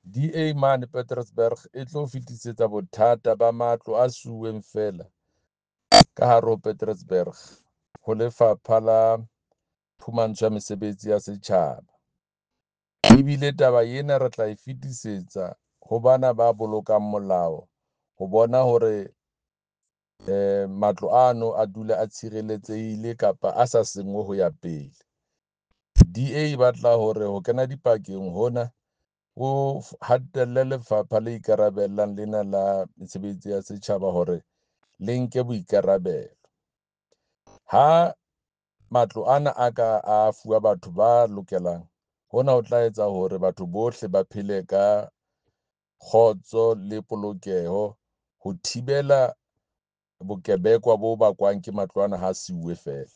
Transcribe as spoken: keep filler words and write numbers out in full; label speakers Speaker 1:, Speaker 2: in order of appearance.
Speaker 1: D A mane Petrusburg e tlo fetisetsa bothata ba matlo a siuweng feela ka hare ho Petrusburg ho Lefapha la Phumantsho ya Mesebetsi ya Setjhaba. Ebile taba ena re tla e fetisetsa ho bana ba bolokang molao ho bona hore eh matlo ano a dula a tshireletsehile kapa a sa senngwe ho ya pele. D A e batla hore ho kena dipakeng hona ho hatelle lefapha le ikarabellang lena la mesebetsi ya setjhaba hore le nke boikarabelo. Ha matlo ana a ka a fuwa batho ba lokelang, hona ho tla etsa hore batho bohle ba phele ka kgotso le polokeho ho thibela bokebekwa bo bakwang ke matlo ana ha siuwe feela.